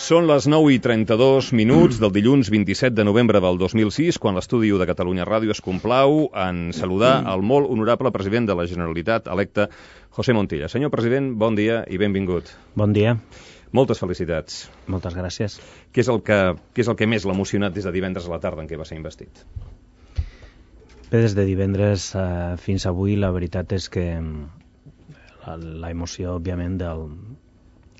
Són les 9:32 del dilluns 27 de novembre del 2006, quan l'estudi de Catalunya Ràdio es complau en saludar el molt honorable president de la Generalitat electe, José Montilla. Senyor president, bon dia i benvingut. Bon dia. Moltes felicitats. Moltes gràcies. Què és el que més l'ha emocionat des de divendres a la tarda en què va ser investit? Bé, des de divendres fins avui, la veritat és que la emoció, òbviament,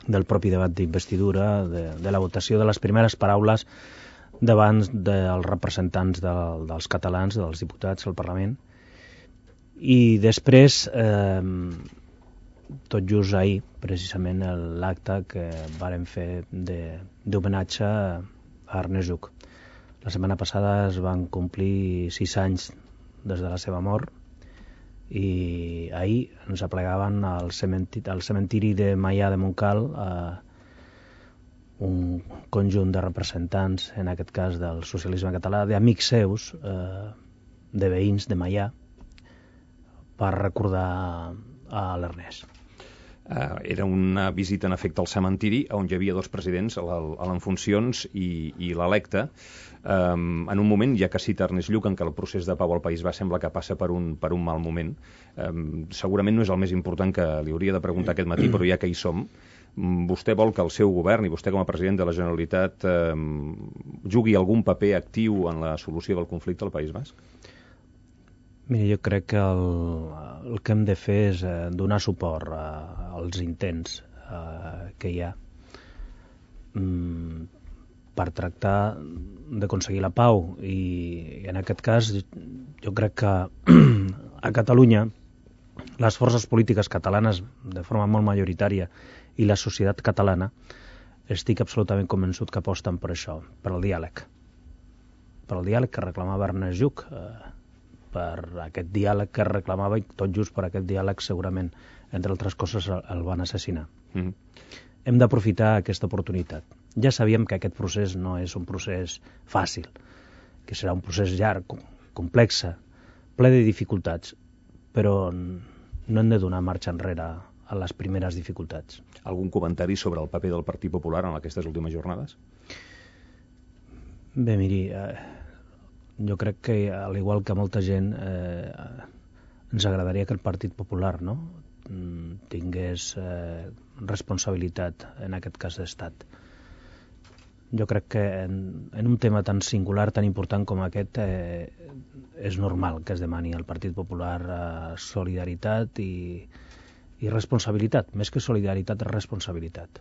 del propi debat d'investidura, de la votació de les primeres paraules davant dels representants dels catalans, dels diputats al Parlament. I després, tot just ahir, precisament, l'acte que vàrem fer d'homenatge a Ernest Lluch. La setmana passada es van complir 6 anys des de la seva mort i ahir ens aplegaven al cementiri de Maià de Montcal un conjunt de representants, en aquest cas del socialisme català, d'amics seus, de veïns de Maià, per recordar a l'Ernest. Era una visita en efecte al cementiri on hi havia dos presidents, en funcions i l'electe, en un moment, ja que cita Ernest Lluch, en què el procés de pau al País Basc sembla que passa per un mal moment. Segurament no és el més important que li hauria de preguntar aquest matí, però ja que hi som, vostè vol que el seu govern i vostè com a president de la Generalitat jugui algun paper actiu en la solució del conflicte al País Basc? Mira, jo crec que el que hem de fer és donar suport als intents que hi ha per tractar d'aconseguir la pau, i en aquest cas jo crec que a Catalunya les forces polítiques catalanes de forma molt majoritària i la societat catalana estic absolutament convençut que aposten per això, per el diàleg que reclamava Ernest Lluch, per aquest diàleg que reclamava, i tot just per aquest diàleg segurament, entre altres coses, el van assassinar. Hem d'aprofitar aquesta oportunitat. Ja sabíem que aquest procés no és un procés fàcil, que serà un procés llarg, complex, ple de dificultats, però no hem de donar marxa enrere a les primeres dificultats. Algun comentari sobre el paper del Partit Popular en aquestes últimes jornades? Bé, miri, jo crec que, al igual que molta gent, ens agradaria que el Partit Popular tingués responsabilitat en aquest cas d'estat. Jo crec que en un tema tan singular, tan important com aquest, és normal que es demani al Partit Popular solidaritat i responsabilitat. Més que solidaritat, responsabilitat.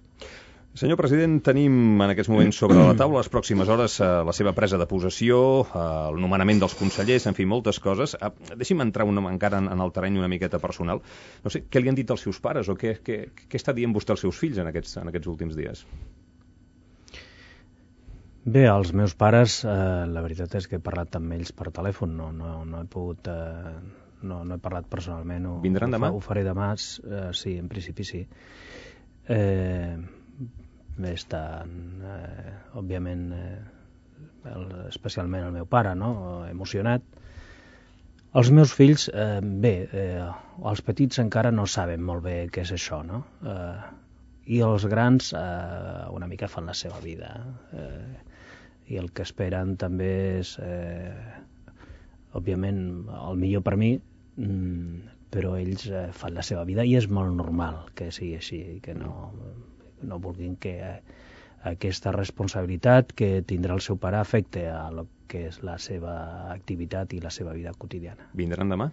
Senyor president, tenim en aquests moments sobre la taula les pròximes hores la seva presa de possessió, el nomenament dels consellers, en fi, moltes coses. Deixi'm entrar encara en el terreny una miqueta personal. No sé, què li han dit els seus pares o què està dient vostè als seus fills en aquests últims dies? Bé, els meus pares, la veritat és que he parlat amb ells per telèfon, no he pogut... No he parlat personalment. Vindran demà? Ho faré demà, sí, en principi sí. Estan, òbviament, especialment el meu pare, emocionat. Els meus fills, els petits encara no saben molt bé què és això, i els grans una mica fan la seva vida, i el que esperen també és, òbviament, el millor per mi, però ells fan la seva vida i és molt normal que sigui així, que no vulguin que aquesta responsabilitat que tindrà el seu pare afecte a lo que és la seva activitat i la seva vida quotidiana. Vindran demà?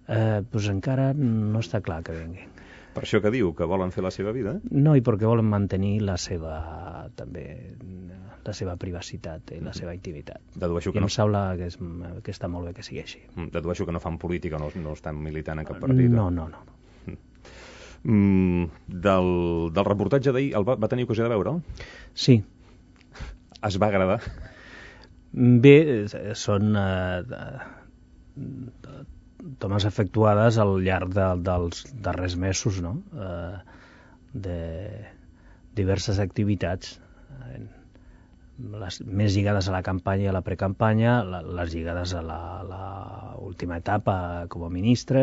Doncs encara no està clar que vinguin. Per això que diu, que volen fer la seva vida? No, i perquè volen mantenir la seva privacitat i la seva intimitat. Dedueixo que I em sembla que està molt bé que sigui així. Dedueixo que no fan política, no estan militant en cap partit. No. Del reportatge d'ahir, va tenir ocasió de veure'l? Sí. Es va agradar? Bé, són tomes efectuades al llarg dels darrers mesos, de diverses activitats, les més lligades a la campanya i a la precampanya, les lligades a l'última etapa com a ministre,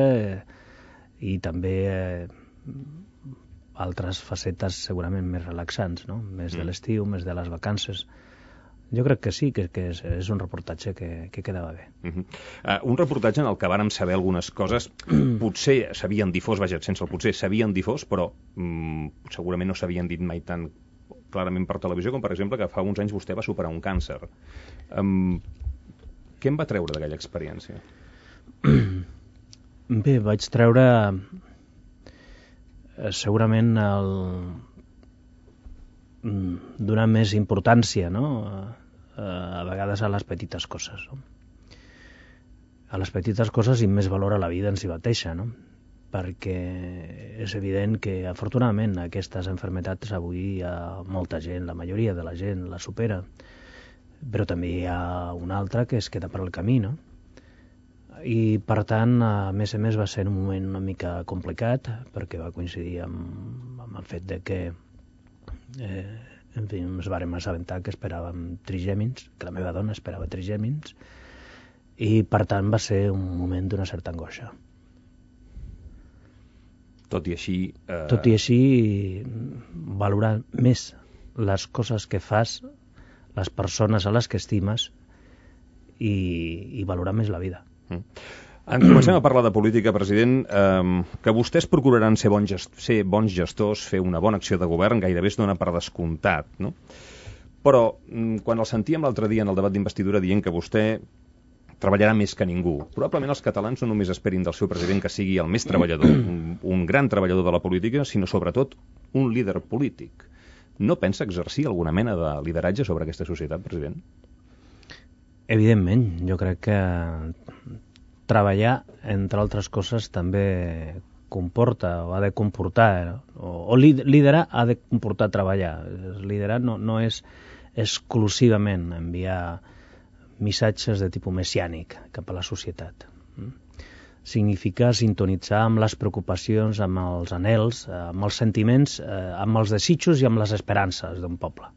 i també altres facetes segurament més relaxants, no? Més de l'estiu, més de les vacances. Jo crec que sí, que és un reportatge que quedava bé. Un reportatge en el que vàrem saber algunes coses, potser s'havien difós, vaja, sense el potser, s'havien difós, però segurament no s'havien dit mai tan clarament per televisió, com per exemple que fa uns anys vostè va superar un càncer. Què en va treure d'aquella experiència? Bé, vaig treure segurament donar més importància, no?, a vegades a les petites coses, no? A les petites coses i més valor a la vida en si mateixa, no? Perquè és evident que afortunadament aquestes malalties avui molta gent, la majoria de la gent la supera, però també hi ha una altra que es queda per al camí, no? I per tant, a més va ser un moment una mica complicat, perquè va coincidir amb el fet de que en fi, ens vàrem assabentar que esperàvem trigèmins, que la meva dona esperava trigèmins, i per tant va ser un moment d'una certa angoixa. Tot i així, valorar més les coses que fas, les persones a les que estimes, i valorar més la vida. Comencem a parlar de política, president. Que vostès procuraran ser bons gestors, fer una bona acció de govern, gairebé es dona per descomptat, no? Però quan el sentíem l'altre dia en el debat d'investidura dient que vostè treballarà més que ningú, probablement els catalans no només esperin del seu president que sigui el més treballador, un gran treballador de la política, sinó sobretot un líder polític. No pensa exercir alguna mena de lideratge sobre aquesta societat, president? Evidentment, jo crec que treballar, entre altres coses, també comporta o ha de comportar, o liderar ha de comportar treballar. Liderar no és exclusivament enviar missatges de tipus messiànic cap a la societat. Significa sintonitzar amb les preocupacions, amb els anhels, amb els sentiments, amb els desitjos i amb les esperances d'un poble.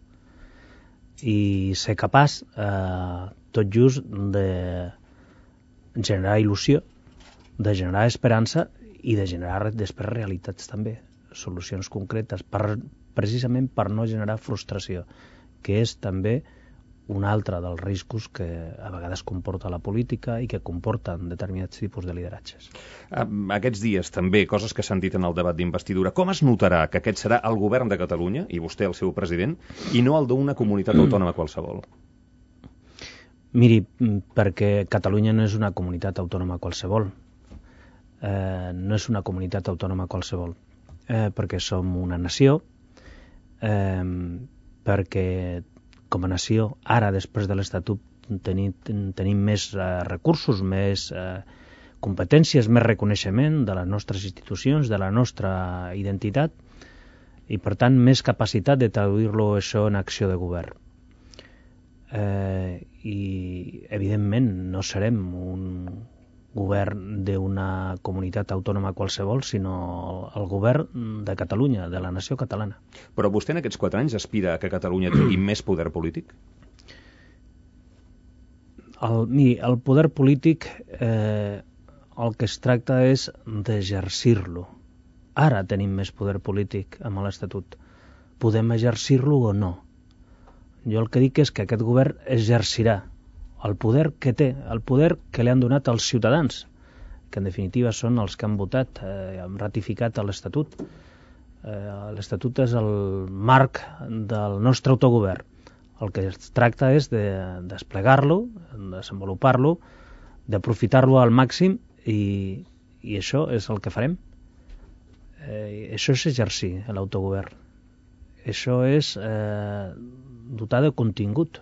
I ser capaç, tot just, de generar il·lusió, de generar esperança i de generar després realitats també, solucions concretes, precisament per no generar frustració, que és també un altre dels riscos que a vegades comporta la política i que comporten determinats tipus de lideratges. Aquests dies també, coses que s'han dit en el debat d'investidura, com es notarà que aquest serà el govern de Catalunya, i vostè el seu president, i no el d'una comunitat autònoma qualsevol? Miri, perquè Catalunya no és una comunitat autònoma qualsevol. No és una comunitat autònoma qualsevol. Perquè som una nació, perquè com a nació, ara, després de l'Estatut, tenim més recursos, més competències, més reconeixement de les nostres institucions, de la nostra identitat, i, per tant, més capacitat de traduir-lo això en acció de govern. I, evidentment, no serem un govern d'una comunitat autònoma qualsevol, sinó el govern de Catalunya, de la nació catalana. Però vostè en aquests 4 anys aspira a que Catalunya tingui més poder polític? Miri, el poder polític el que es tracta és d'exercir-lo. Ara tenim més poder polític amb l'Estatut. Podem exercir-lo o no? Jo el que dic és que aquest govern exercirà el poder que té, el poder que li han donat els ciutadans, que en definitiva són els que han votat, han ratificat l'Estatut. L'Estatut és el marc del nostre autogovern. El que es tracta és de desplegar-lo, de desenvolupar-lo, d'aprofitar-lo al màxim, i això és el que farem. Això és exercir l'autogovern. Això és dotar de contingut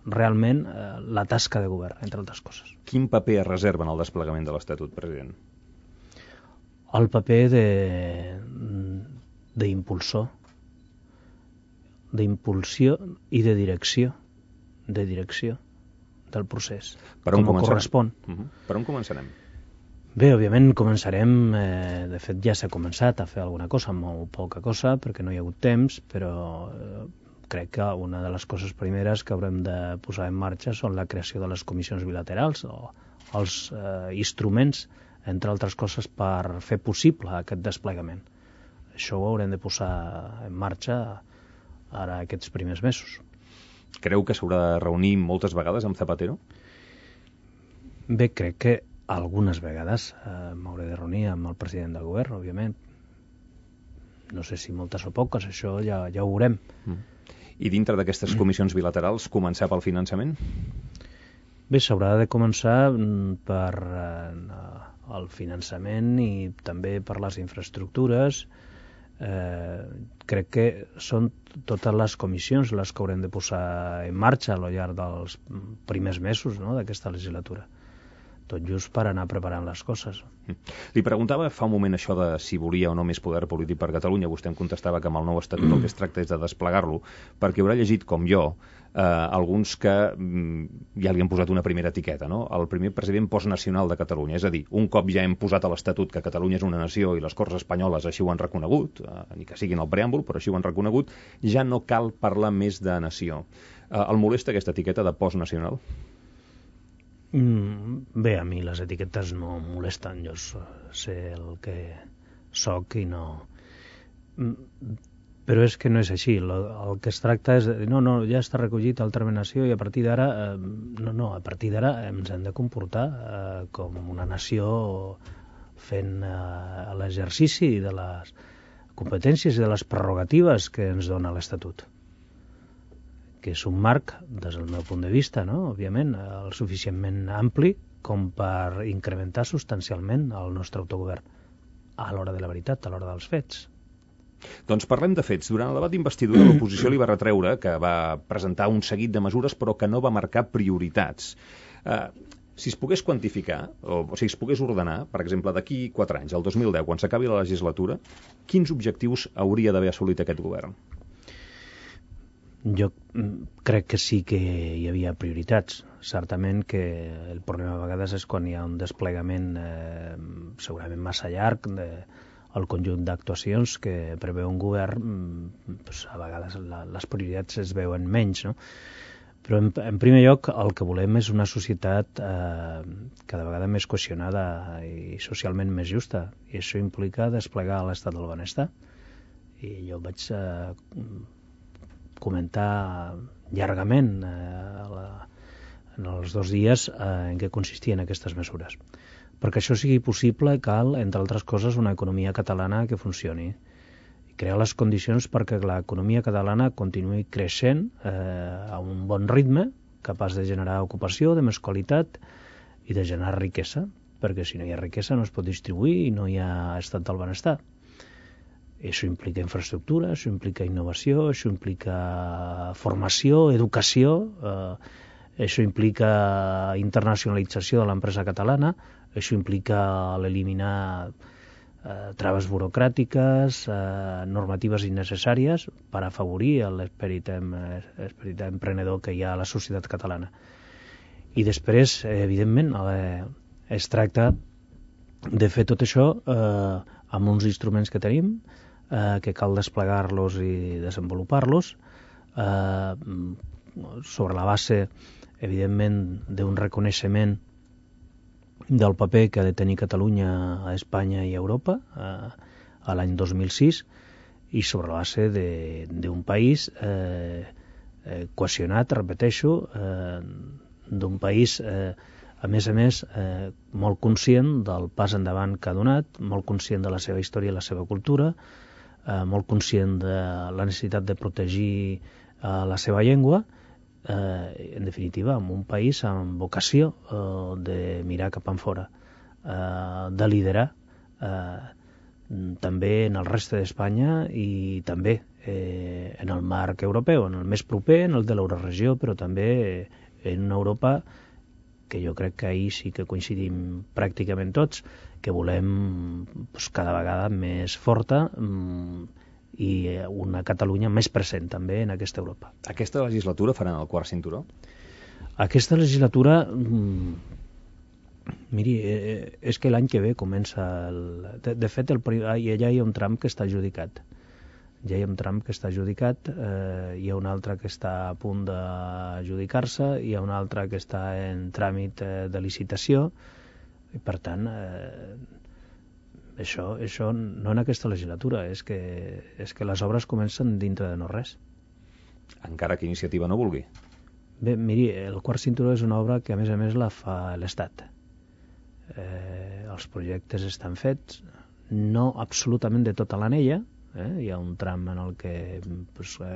realment la tasca de govern, entre altres coses. Quin paper es reserva en el desplegament de l'Estatut, president? El paper d'impulsor, d'impulsió i de direcció del procés, com correspon. Per on començarem? Bé, òbviament començarem, de fet ja s'ha començat a fer alguna cosa, molt poca cosa, perquè no hi ha hagut temps, però crec que una de les coses primeres que haurem de posar en marxa són la creació de les comissions bilaterals o els instruments, entre altres coses, per fer possible aquest desplegament. això ho haurem de posar en marxa ara aquests primers mesos. Creu que s'haurà de reunir moltes vegades amb Zapatero? Bé, crec que algunes vegades m'hauré de reunir amb el president del govern, òbviament. No sé si moltes o poques, això ja ho veurem. I dintre d'aquestes comissions bilaterals, començar pel finançament? Bé, s'haurà de començar per el finançament i també per les infraestructures. Crec que són totes les comissions les que haurem de posar en marxa al llarg dels primers mesos, no?, d'aquesta legislatura, tot just per anar preparant les coses. Li preguntava fa un moment això de si volia o no més poder polític per Catalunya. Vostè em contestava que amb el nou estatut el que es tracta és de desplegar-lo, perquè haurà llegit, com jo, alguns que ja li han posat una primera etiqueta, no? El primer president postnacional de Catalunya, és a dir, un cop ja hem posat a l'Estatut que Catalunya és una nació i les Corts espanyoles així ho han reconegut, ni que sigui en el preàmbul, però així ho han reconegut, ja no cal parlar més de nació. El molesta aquesta etiqueta de postnacional? Bé, a mi les etiquetes no em molesten, jo sé el que soc i no... Però és que no és així, el que es tracta és de dir, no, ja està recollit el terme nació i a partir d'ara, a partir d'ara ens hem de comportar com una nació fent l'exercici de les competències i de les prerrogatives que ens dona l'Estatut, que és un marc, des del meu punt de vista, no?, òbviament, el suficientment ampli com per incrementar substancialment el nostre autogovern a l'hora de la veritat, a l'hora dels fets. Doncs parlem de fets. Durant el debat d'investidura l'oposició li va retreure que va presentar un seguit de mesures però que no va marcar prioritats. Si es pogués quantificar, o si es pogués ordenar, per exemple, d'aquí 4 anys, el 2010, quan s'acabi la legislatura, quins objectius hauria d'haver assolit aquest govern? Jo crec que sí que hi havia prioritats. Certament que el problema a vegades és quan hi ha un desplegament segurament massa llarg el conjunt d'actuacions que preveu un govern, a vegades les prioritats es veuen menys, no? Però en primer lloc el que volem és una societat cada vegada més cohesionada i socialment més justa, i això implica desplegar l'estat del benestar. I jo vaig comentar llargament en els 2 dies en què consistien aquestes mesures. Perquè això sigui possible cal, entre altres coses, una economia catalana que funcioni i crear les condicions perquè l'economia catalana continuï creixent a un bon ritme, capaç de generar ocupació de més qualitat i de generar riquesa, perquè si no hi ha riquesa no es pot distribuir i no hi ha estat del benestar. Això implica infraestructura, això implica innovació, això implica formació, educació, això implica internacionalització de l'empresa catalana, això implica eliminar traves burocràtiques, normatives innecessàries per afavorir l'esperit emprenedor que hi ha a la societat catalana. I després, evidentment, es tracta de fer tot això amb uns instruments que tenim, que cal desplegar-los i desenvolupar-los, sobre la base, evidentment, d'un reconeixement del paper que ha de tenir Catalunya a Espanya i a Europa a l'any 2006 i sobre la base d'un país cohesionat, repeteixo, d'un país, a més, molt conscient del pas endavant que ha donat, molt conscient de la seva història i la seva cultura, molt conscient de la necessitat de protegir la seva llengua, en definitiva, en un país amb vocació de mirar cap enfora, de liderar també en el reste d'Espanya i també en el marc europeu, en el més proper, en el de l'Euroregió, però també en una Europa que jo crec que ahir sí que coincidim pràcticament tots, que volem cada vegada més forta i una Catalunya més present també en aquesta Europa. Aquesta legislatura faran el quart cinturó? Aquesta legislatura, miri, és que l'any que ve comença... De fet, ja hi ha un tram que està adjudicat. Hi ha un tram que està adjudicat, hi ha un altre que està a punt d'adjudicar-se, hi ha un altre que està en tràmit de licitació, i per tant, Això no en aquesta legislatura, és que les obres comencen dintre de no res. Encara que Iniciativa no vulgui. Bé, miri, el quart cinturó és una obra que a més la fa l'Estat. Els projectes estan fets, no absolutament de tota l'anella, hi ha un tram en el que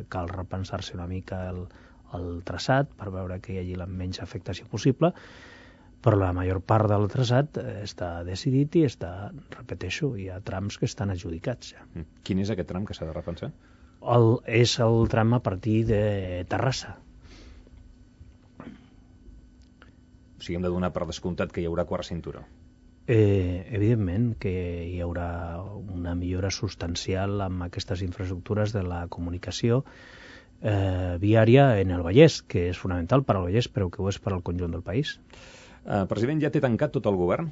cal repensar-se una mica el traçat per veure que hi hagi la menys afectació possible, però la major part del traçat està decidit i repeteixo, hi ha trams que estan adjudicats ja. Quin és aquest tram que s'ha de repensar? És el tram a partir de Terrassa. O sigui, hem de donar per descomptat que hi haurà quart cinturó. Evidentment que hi haurà una millora substancial amb aquestes infraestructures de la comunicació viària en el Vallès, que és fonamental per al Vallès, però que ho és per al conjunt del país. President, ja té tancat tot el govern?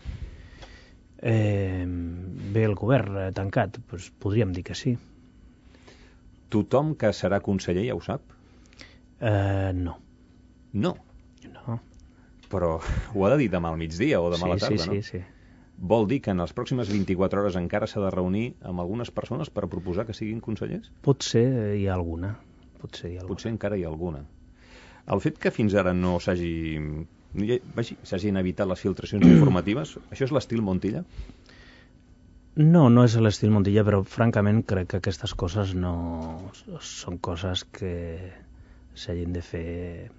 Bé, el govern tancat, doncs podríem dir que sí. Tothom que serà conseller ja ho sap? No. No? No. Però ho ha de dir demà al migdia o demà a la tarda, no? Sí. Vol dir que en les pròximes 24 hores encara s'ha de reunir amb algunes persones per proposar que siguin consellers? Potser hi ha alguna. Potser encara hi ha alguna. El fet que fins ara no s'hagin evitat les filtracions informatives, això és l'estil Montilla? No és l'estil Montilla, però francament crec que aquestes coses no són coses que s'hagin de fer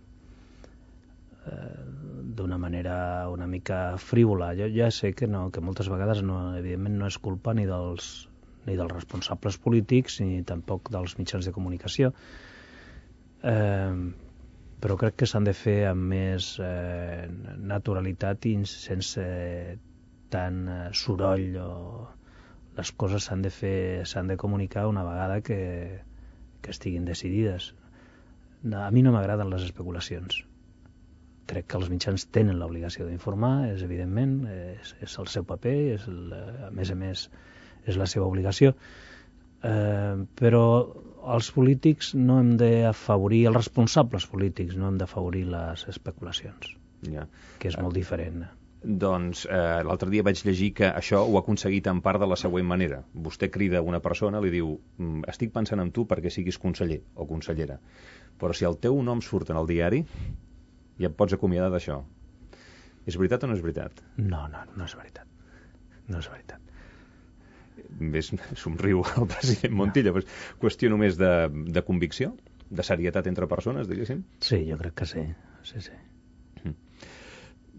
d'una manera una mica frívola. Jo ja sé que moltes vegades evidentment no és culpa ni dels responsables polítics ni tampoc dels mitjans de comunicació, però crec que s'han de fer amb més naturalitat i sense tant soroll. Les coses s'han de comunicar una vegada que estiguin decidides. A mi no m'agraden les especulacions. Crec que els mitjans tenen l'obligació d'informar, és evidentment, és el seu paper, a més, és la seva obligació. Però els polítics no hem d'afavorir, els responsables polítics no hem d'afavorir les especulacions, que és molt diferent. Doncs l'altre dia vaig llegir que això ho ha aconseguit en part de la següent manera. Vostè crida una persona, li diu: estic pensant en tu perquè siguis conseller o consellera, però si el teu nom surt en el diari ja et pots acomiadar d'això. És veritat o no és veritat? No és veritat. No és veritat. Ves, somriu el president Montilla. No. Qüestió només de convicció? De serietat entre persones, diguéssim? Sí, jo crec que sí.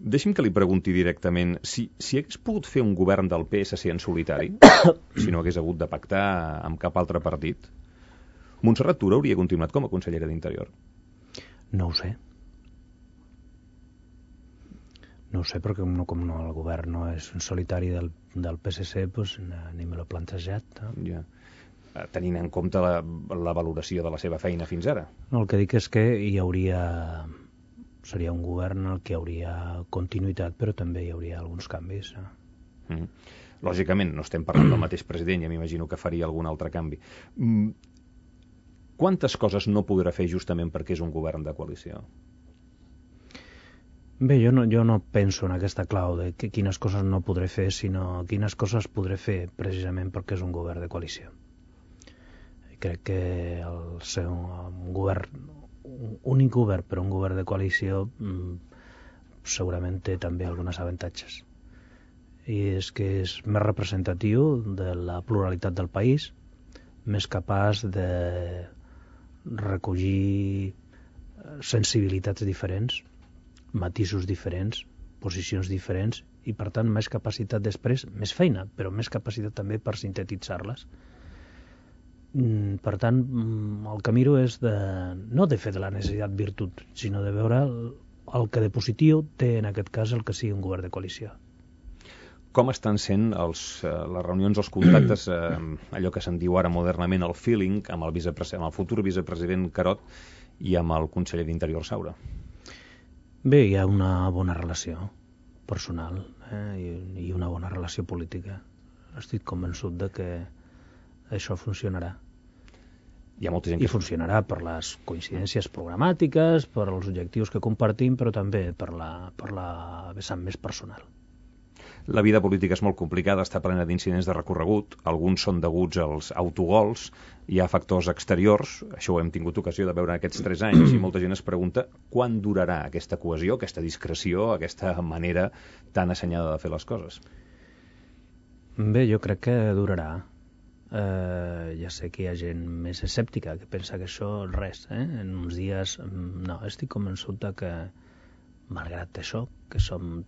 Deixi'm que li pregunti directament si hagués pogut fer un govern del PSC en solitari, si no hagués hagut de pactar amb cap altre partit, Montserrat Tura hauria continuat com a consellera d'Interior? No ho sé. No ho sé, perquè com el govern no és un solitari del PSC, doncs ni me l'he plantejat. Ja. Tenint en compte la valoració de la seva feina fins ara. No, el que dic és que seria un govern en el que hi hauria continuïtat, però també hi hauria alguns canvis. Lògicament, no estem parlant del mateix president, ja m'imagino que faria algun altre canvi. Quantes coses no podrà fer justament perquè és un govern de coalició? Bé, jo no penso en aquesta clau de quines coses no podré fer, sinó quines coses podré fer precisament perquè és un govern de coalició. Crec que ser un únic govern, però un govern de coalició segurament té també alguns avantatges. I és que és més representatiu de la pluralitat del país, més capaç de recollir sensibilitats diferents, matisos diferents, posicions diferents i, per tant, més capacitat després, més feina, però més capacitat també per sintetitzar-les. Per tant, el que miro és no de fer de la necessitat virtut, sinó de veure el que de positiu té en aquest cas el que sigui un govern de coalició. Com estan sent les reunions, els contactes, allò que se'n diu ara modernament el feeling, amb el futur vicepresident Carod i amb el conseller d'Interior Saura? Bé, hi ha una bona relació personal i una bona relació política. Estic convençut de que això funcionarà. Hi ha molta gent que... I funcionarà per les coincidències programàtiques, per els objectius que compartim, però també per la vessant més personal. La vida política és molt complicada, està plena d'incidents de recorregut, alguns són deguts als autogols, hi ha factors exteriors, això ho hem tingut ocasió de veure en aquests 3 anys, i molta gent es pregunta quan durarà aquesta cohesió, aquesta discreció, aquesta manera tan assenyada de fer les coses. Bé, jo crec que durarà. Ja sé que hi ha gent més escèptica que pensa que això res, en uns dies no, estic convençut que malgrat això, que som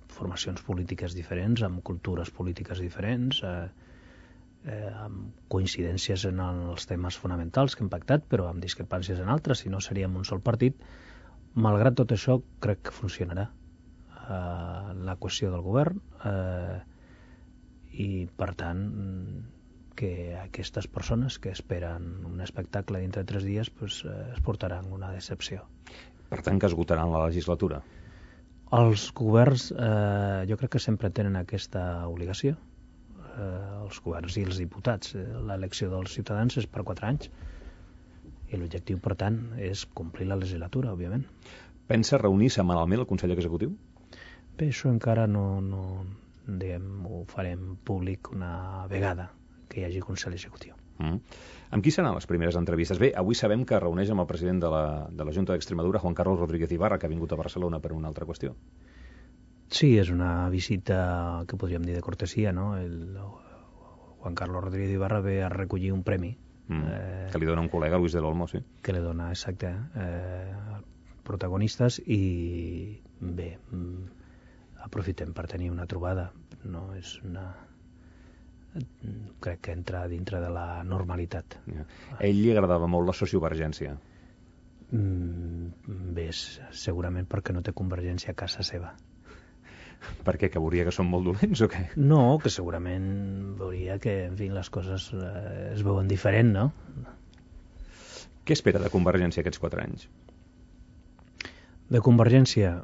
formacions polítiques diferents, amb cultures polítiques diferents, amb coincidències en els temes fonamentals que hem pactat, però amb discrepàncies en altres, si no seríem un sol partit, malgrat tot això crec que funcionarà la qüestió del govern i per tant que aquestes persones que esperen un espectacle dintre de 3 dies pues, es portaran una decepció. Per tant, que esgotaran la legislatura? Els governs jo crec que sempre tenen aquesta obligació. Els governs i els diputats. L'elecció dels ciutadans és per 4 anys i l'objectiu, per tant, és complir la legislatura, òbviament. Pensa reunir setmanalment el Consell Executiu? Bé, això encara no ho farem públic una vegada que hi hagi Consell Executiu. Amb qui seran les primeres entrevistes? Bé, avui sabem que reuneix amb el president de la Junta d'Extremadura, Juan Carlos Rodríguez Ibarra, que ha vingut a Barcelona per una altra qüestió. Sí, és una visita que podríem dir de cortesia, no? El Juan Carlos Rodríguez Ibarra ve a recollir un premi. Que li dona un col·lega, Luis del Olmo, sí. Que li dona, exacte, protagonistes i bé, aprofitem per tenir una trobada. No és una... crec que entra dintre de la normalitat. A ell li agradava molt la sociovergència. Bé, segurament perquè no té convergència a casa seva. Per què? Que veuria que són molt dolents o què? No, que segurament veuria que, en fi, les coses es veuen diferent, no? Què espera de Convergència aquests 4 anys? De Convergència...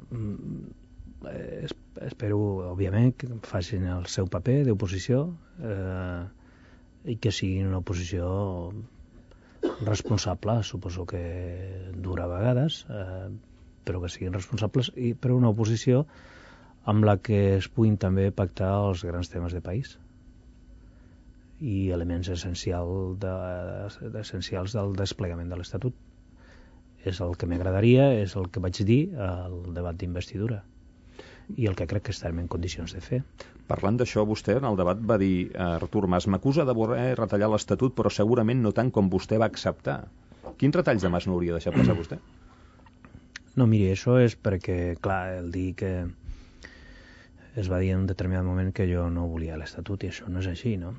espero, òbviament, que facin el seu paper d'oposició i que siguin una oposició responsable, suposo que dura a vegades, però que siguin responsables, però una oposició amb la que es puguin també pactar els grans temes de país i elements essencials del desplegament de l'Estatut. És el que m'agradaria, és el que vaig dir al debat d'investidura i el que crec que estarem en condicions de fer. Parlant d'això, vostè en el debat va dir Artur Mas, m'acusa de voler retallar l'Estatut, però segurament no tant com vostè va acceptar. Quins retalls de Mas no hauria deixat passar vostè? No, miri, això és perquè, clar, el dir que es va dir en un determinat moment que jo no volia l'Estatut i això no és així, no?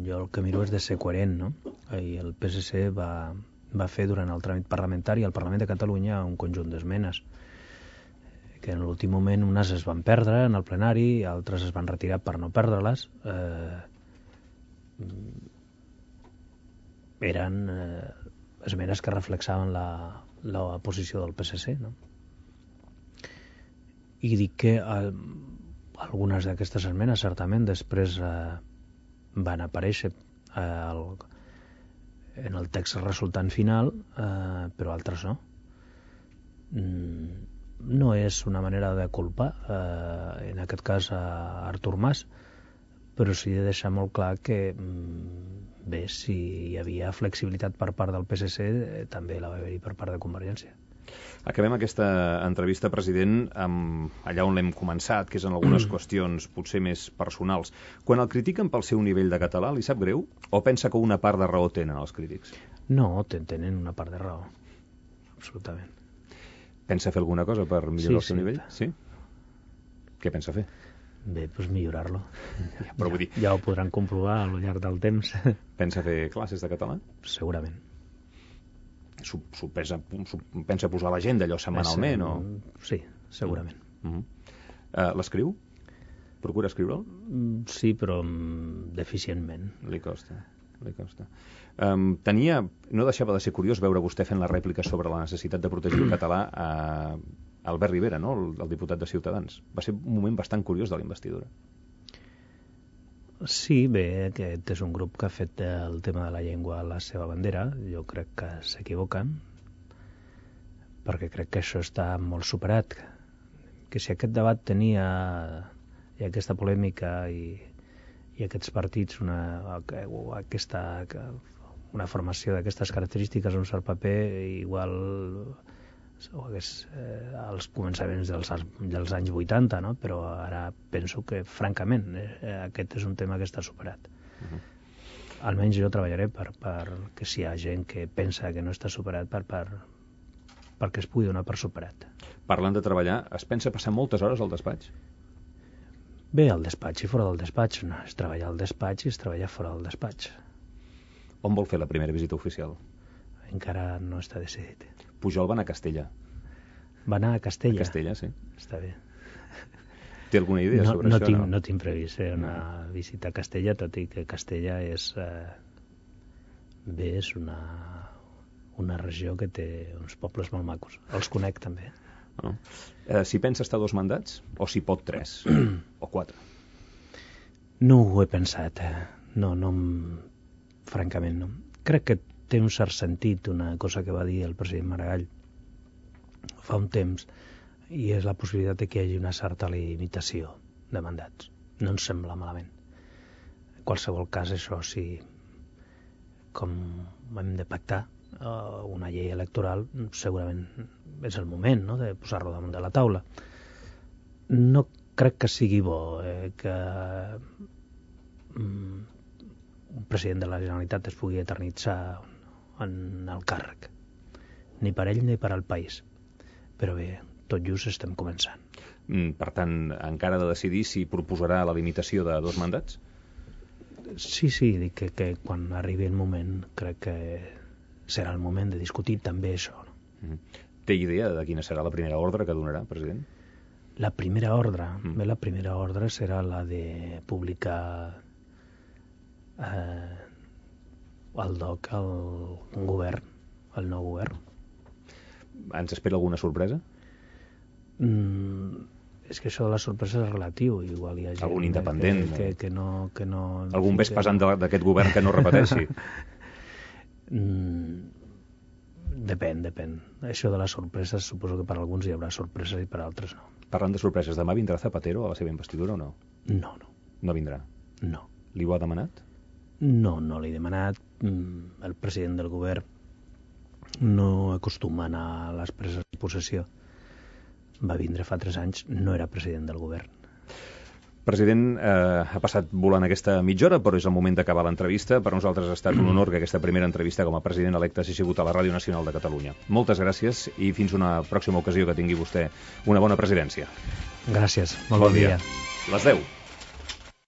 Jo el que miro és de ser coherent, no? I el PSC va fer durant el tràmit parlamentari al Parlament de Catalunya un conjunt d'esmenes que en l'últim moment unes es van perdre en el plenari i altres es van retirar per no perdre-les. Eren esmenes que reflexaven la posició del PSC, no? I dic que algunes d'aquestes esmenes certament després van aparèixer en el text resultant final, però altres no. No és una manera de culpar, en aquest cas a Artur Mas, però sí de deixar molt clar que bé, si hi havia flexibilitat per part del PSC, també la va haver-hi per part de Convergència. Acabem aquesta entrevista, president, amb allà on l'hem començat, que és en algunes qüestions potser més personals. Quan el critiquen pel seu nivell de català, li sap greu? O pensa que una part de raó tenen els crítics? No, tenen una part de raó. Absolutament. Pensa fer alguna cosa per millorar el seu nivell? Sí? Què pensa fer? Bé, doncs millorar-lo. Però vull dir... Ja ho podran comprovar al llarg del temps. Pensa fer classes de català? Segurament. Pensa posar a l'agenda allò setmanalment? Sí, segurament. L'escriu? Procura escriure'l? Sí, però deficientment. Li costa. No deixava de ser curiós veure vostè fent la rèplica sobre la necessitat de protegir el català a Albert Rivera, no? El diputat de Ciutadans. Va ser un moment bastant curiós de la investidura. Sí, bé, aquest és un grup que ha fet el tema de la llengua la seva bandera. Jo crec que s'equivoquen, perquè crec que això està molt superat. Que si aquest debat tenia i aquesta polèmica i aquests partits, una formació d'aquestes característiques, un cert paper, igual als començaments dels anys 80, no? Però ara penso que, francament, aquest és un tema que està superat. Almenys jo treballaré perquè si hi ha gent que pensa que no està superat, perquè es pugui donar per superat. Parlant de treballar, es pensa passar moltes hores al despatx? Bé, al despatx i fora del despatx. No, és treballar al despatx i és treballar fora del despatx. On vol fer la primera visita oficial? Encara no està decidit. Pujol va anar a Castella. Va anar a Castella? A Castella, sí. Està bé. Té alguna idea sobre això? No tinc previst una visita a Castella, tot i que Castella és una regió que té uns pobles molt macos. Els conec també. Si pensa estar 2 mandats o si pot 3 o 4? No ho he pensat. Francament no. Crec que té un cert sentit una cosa que va dir el president Maragall fa un temps, i és la possibilitat de que hi hagi una certa limitació de mandats. No ens sembla malament. En qualsevol cas, això sí, com hem de pactar una llei electoral, segurament és el moment, no?, de posar-lo damunt de la taula. No crec que sigui bo que un president de la Generalitat es pugui eternitzar en el càrrec, ni per ell ni per al país. Però bé, tot just estem començant. Per tant, encara ha de decidir si proposarà la limitació de 2 mandats? Sí, dic que quan arribi el moment crec que serà el moment de discutir també això. Té idea de quina serà la primera ordre que donarà, president? La primera ordre? Bé, la primera ordre serà la de publicar el DOC al govern, al nou govern. Ens espera alguna sorpresa? És que això de la sorpresa és relatiu. Igual hi ha gent algun independent que no... Algun ves pesant d'aquest govern que no repeteixi? Depèn. Això de les sorpreses, suposo que per alguns hi haurà sorpreses i per altres no. Parlant de sorpreses, demà vindrà Zapatero a la seva investidura o no? No. No vindrà? No. Li ho ha demanat? No l'he demanat. El president del govern no acostuma a anar a les preses de possessió. Va vindre fa 3 anys, no era president del govern. President, ha passat volant aquesta mitja hora, però és el moment d'acabar l'entrevista. Per nosaltres ha estat un honor que aquesta primera entrevista com a president electe hagi sigut a la Ràdio Nacional de Catalunya. Moltes gràcies i fins una pròxima ocasió que tingui vostè una bona presidència. Gràcies, molt bon dia. Les 10.